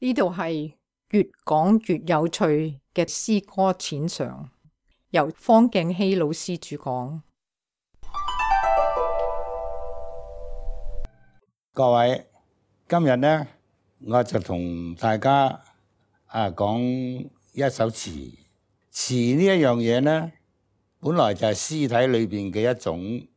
呢度係越講越有趣嘅詩歌淺嘗，由方敬熙老師主講。各位，今日呢，我就同大家講一首詞。詞呢一樣嘢呢，本來就係詩體裏邊嘅一種，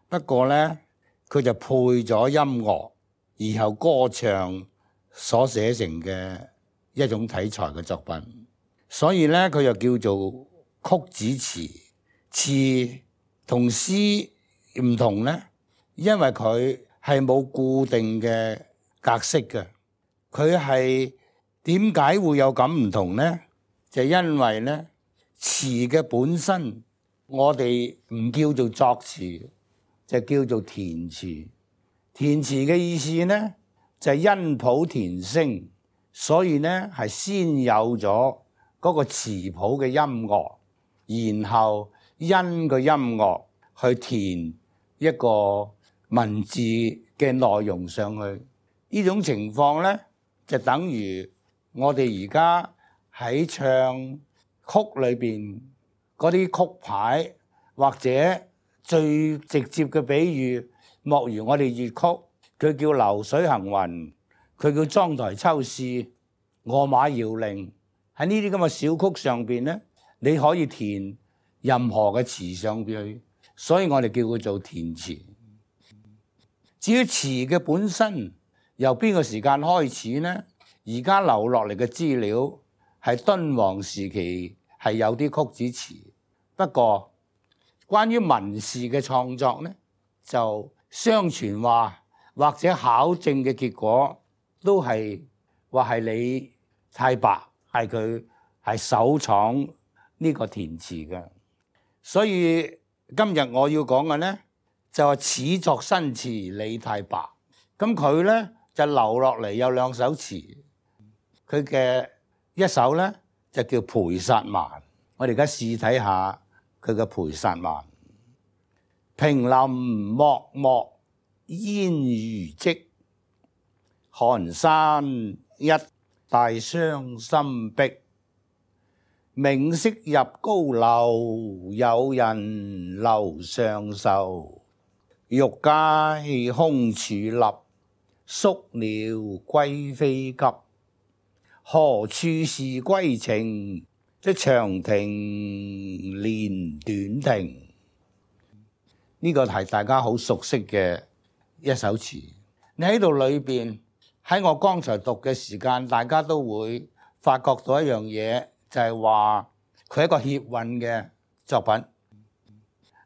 不過呢，佢就配咗音樂，然後歌唱所寫成嘅一種體裁嘅作品，所以呢，佢又叫做曲子詞。詞同詩唔同呢，因為佢係冇固定嘅格式嘅。佢係點解會有咁唔同呢？就因為呢，詞嘅本身我哋唔叫做作詞，就叫做填詞。填詞嘅意思呢，就係因譜填聲，所以呢係先有咗嗰個詞譜嘅音樂，然後因個音樂去填一個文字嘅內容上去。呢種情況呢，就等於我哋而家喺唱曲裏邊嗰啲曲牌，或者最直接嘅比喻，莫如我哋粵曲，佢叫流水行雲，佢叫妝台秋事，餓馬搖鈴。喺呢啲咁嘅小曲上邊呢，你可以填任何嘅詞上邊去，所以我哋叫佢做填詞。至於詞嘅本身由邊個時間開始呢？而家留落嚟嘅資料係敦煌時期係有啲曲子詞，不過關於文士嘅創作呢，就相傳話或者考證嘅結果都係話係李太白係佢係首創呢個填詞嘅。所以今日我要講嘅呢，就係始作新詞李太白。咁佢呢，就留落嚟有兩首詞，佢嘅一首呢，就叫《陪薩蠻》。我哋而家試睇下佢嘅《陪薩蠻》。平林漠漠煙如積，寒山一帶傷心碧。明夕入高樓，有人樓上愁。欲解空處立，宿鳥歸飛急。何處是歸程？即長亭連短亭。呢個係大家好熟悉嘅一首詞。你喺度裏邊，喺我剛才讀嘅時間，大家都會發覺到一樣嘢，就係話佢係一個歇韻嘅作品。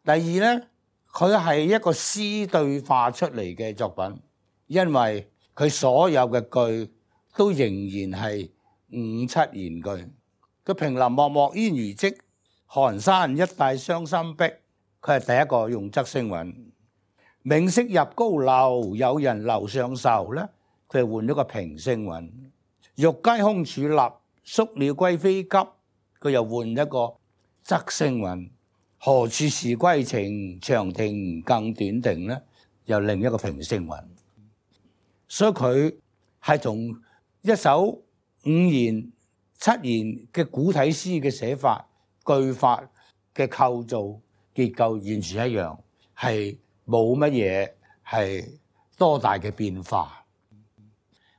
第二呢，佢係一個詩對化出嚟嘅作品，因為佢所有嘅句都仍然係五七言句。佢平林漠漠煙如積，寒山一帶傷心碧。佢係第一個用仄聲韻。明夕入高樓，有人樓上愁咧，佢係換咗個平聲韻。欲解空處立，宿鳥歸飛急，佢又換一個仄聲韻。何處是歸程？長亭更短亭咧，又另一個平聲韻。所以佢係同一首五言七言嘅古體詩嘅寫法、句法嘅構造結構完全一樣，係冇乜嘢係多大嘅變化。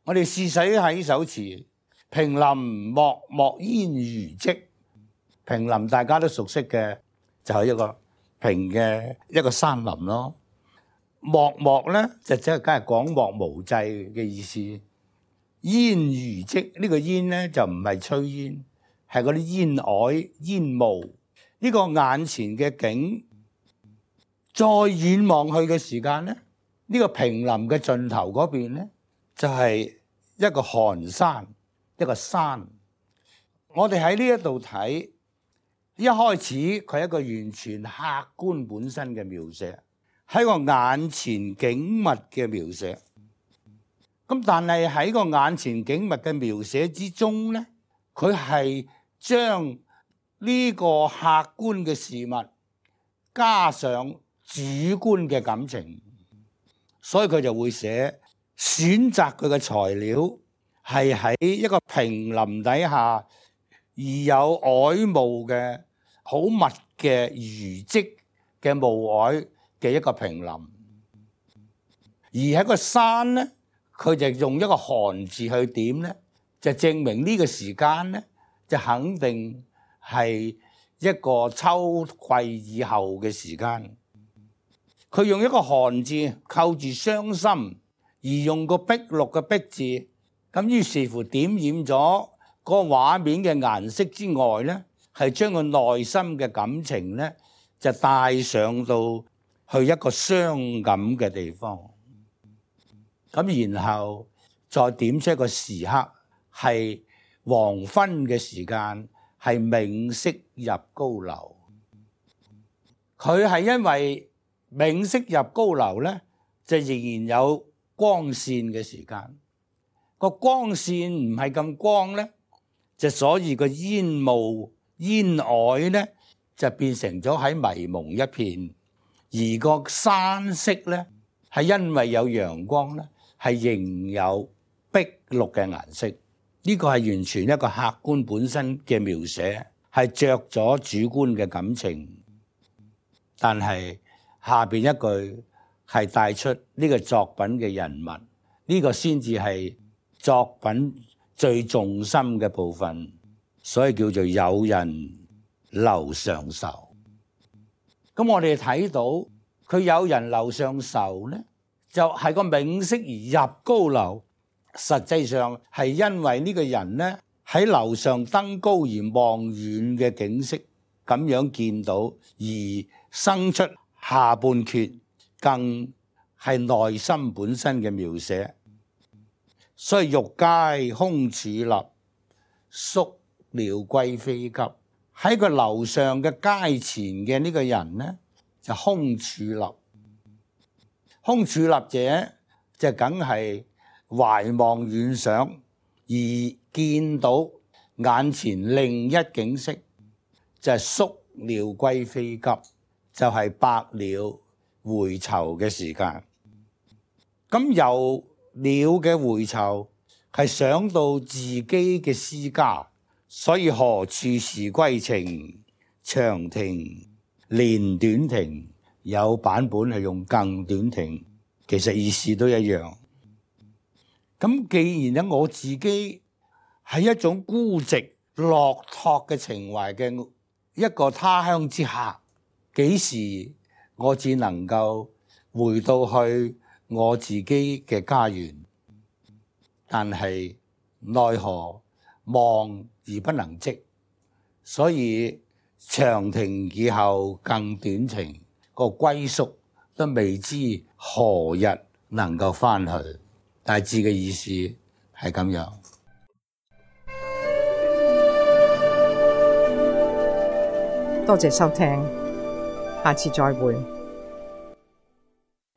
我哋試使喺呢首詞，平林漠漠煙如積。平林大家都熟悉嘅，就係一個平嘅一個山林咯。漠漠咧就即係梗係廣漠無際嘅意思。煙如積呢個煙咧就唔係炊煙，係嗰啲煙靄煙霧。呢個眼前嘅景，再遠望去嘅時間咧，呢個平林嘅盡頭嗰邊咧，就係一個寒山，一個山。我哋喺呢一度睇，一開始佢係一個完全客觀本身嘅描寫，喺個眼前景物嘅描寫。咁但係喺個眼前景物嘅描寫之中咧，佢係將呢個客觀嘅事物加上主觀嘅感情，所以佢就會寫選擇佢嘅材料係喺一個平林底下，而有皚霧嘅好密嘅餘積嘅霧靄嘅一個平林。而喺個山咧，佢就用一個寒字去點咧，就證明呢個時間咧，就肯定係一個秋季以後嘅時間。佢用一個寒字扣住傷心，而用個碧綠嘅碧字，咁於是乎點染咗個畫面嘅顏色之外咧，係將個內心嘅感情咧，就帶上到去一個傷感嘅地方。咁然後再點出一個時刻，係黃昏嘅時間，係冥色入高樓。佢係因為冥色入高樓咧，就仍然有光線嘅時間。個光線唔係咁光咧，就所以個煙霧煙靄咧，就變成咗喺迷蒙一片。而個山色咧，係因為有陽光咧，係仍有碧綠嘅顏色。呢個係完全一個客觀本身嘅描寫，係着咗主觀嘅感情。但係下邊一句係帶出呢個作品嘅人物，呢個先至係作品最重心嘅部分，所以叫做有人樓上愁。咁我哋睇到佢有人樓上愁咧，就係個冥色而入高樓。實際上係因為呢個人咧喺樓上登高而望遠嘅景色，咁樣見到而生出下半闕，更係內心本身嘅描寫。所以欲階空俶立，宿鳥歸飛急。喺個樓上嘅階前嘅呢個人咧，就空俶立。空俶立者就梗係懷望遠想，而見到眼前另一景色，就係宿鳥歸飛急，就係白鳥回巢嘅時間。咁由鳥嘅回巢係想到自己嘅思家，所以何處是歸程？長亭連短亭，有版本係用更短亭，其實意思都一樣。咁既然咧，我自己係一種孤寂落拓嘅情懷嘅一個他鄉之客，幾時我只能夠回到去我自己嘅家園？但係奈何望而不能即，所以長亭以後更短亭，個歸宿都未知何日能夠翻去。大致嘅意思係咁樣。多謝收聽，下次再會。